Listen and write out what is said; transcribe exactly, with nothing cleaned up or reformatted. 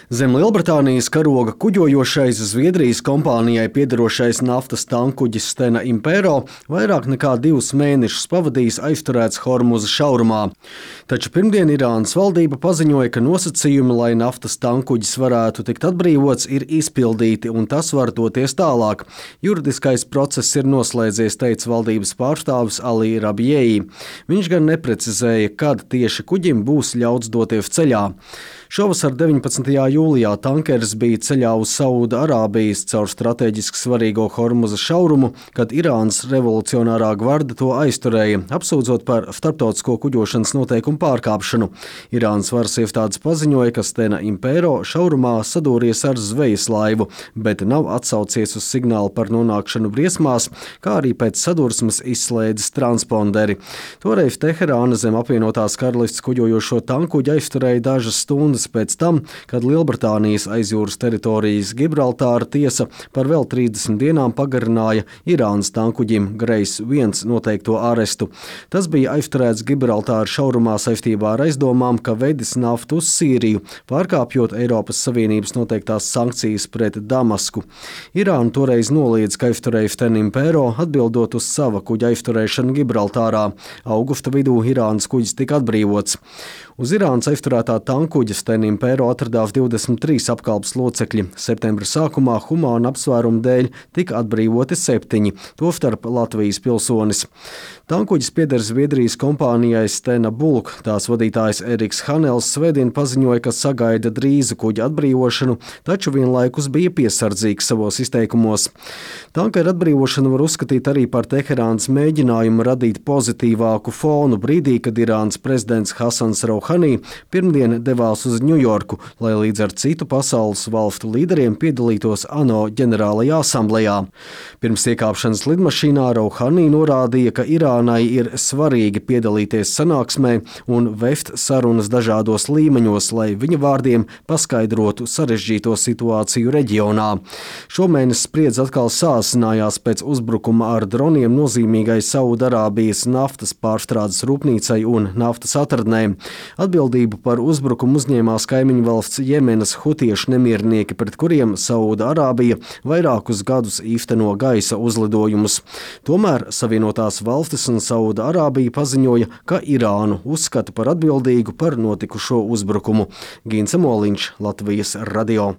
Zem Lielbritānijas karoga kuģojošais Zviedrijas kompānijai piederošais naftas tankkuģis Stena Impero vairāk nekā divus mēnešus pavadījis aizturēts Hormuza šaurumā. Taču pirmdien Irānas valdība paziņoja, ka nosacījumi, lai naftas tankkuģis varētu tikt atbrīvots, ir izpildīti un tas var doties tālāk. Juridiskais process ir noslēdzies, teica valdības pārstāvis Ali Rabieji. Viņš gan neprecizēja, kad tieši kuģim būs ļauts doties ceļā. Šovasar deviņpadsmitajā jūlijā tankeris bija ceļā uz Sauda Arābijas caur strateģiski svarīgo Hormuza šaurumu, kad Irānas revolucionārā gvarde to aizturēja, apsūdzot par starptautisko kuģošanas noteikumu pārkāpšanu. Irānas varas iestādes paziņoja, ka Stena Impero šaurumā sadūries ar zvejas laivu, bet nav atsaucies uz signālu par nonākšanu briesmās, kā arī pēc sadursmes izslēdzis transponderi. Toreiz Teherāna zem apvienotās karalists kuģojošo tankkuģi aizturēja dažas stundas pēc tam, kad Lielbritānijas aizjūras teritorijas Gibraltāra tiesa par vēl trīsdesmit dienām pagarināja Irānas tankkuģim Grace viens noteikto arestu. Tas bija aizturēts Gibraltāra šaurumā saistībā ar aizdomām, ka vedis naftu uz Sīriju, pārkāpjot Eiropas Savienības noteiktās sankcijas pret Damasku. Irāna toreiz noliedz, ka aizturēja Stena Impero, atbildot uz sava kuģa aizturēšanu Gibraltārā. Augusta vidū Irānas kuģis tika atbrīvots. Uz Irānas aizturētā tankkuģa Stena Impero atradās divdesmit trīs apkalpes locekļi. Septembra sākumā humāna apsvērumu dēļ tika atbrīvoti septiņi, tostarp Latvijas pilsonis. Tankkuģis pieder Zviedrijas kompānijai Stena Bulk. Tās vadītājs Eriks Hanels svētdien paziņoja, ka sagaida drīzu kuģa atbrīvošanu, taču vienlaikus bija piesardzīgs savos izteikumos. Tankera atbrīvošanu var uzskatīt arī par Teherānas mēģinājumu radīt pozitīvāku fonu brīdī, kad Irānas prezidents Hasans Rouhani pirmdien devās uz Ņujorku, lai līdz ar citu pasaules valstu līderiem piedalītos ANO ģenerālajā asamblejā. Pirms iekāpšanas lidmašīnā Rouhani norādīja, ka Irānai ir svarīgi piedalīties sanāksmē un vest sarunas dažādos līmeņos, lai viņa vārdiem paskaidrotu sarežģīto situāciju reģionā. Šomēnes spriedze atkal sāsinājās pēc uzbrukuma ar droniem nozīmīgai Saudarābijas naftas pārstrādes rūpnīcai un naftas atradnēm. Atbildību par uzbrukumu uzņēmās kaimiņu valsts Jemenas hutiešu nemiernieki, pret kuriem Saudarābija vairākus gadus īsteno gaisa uzlidojumus. Tomēr Savienotās valstis un Saudarābija paziņoja, ka Irānu uzskata par atbildīgu par notikušo uzbrukumu. Gints Moliņš, Latvijas radio.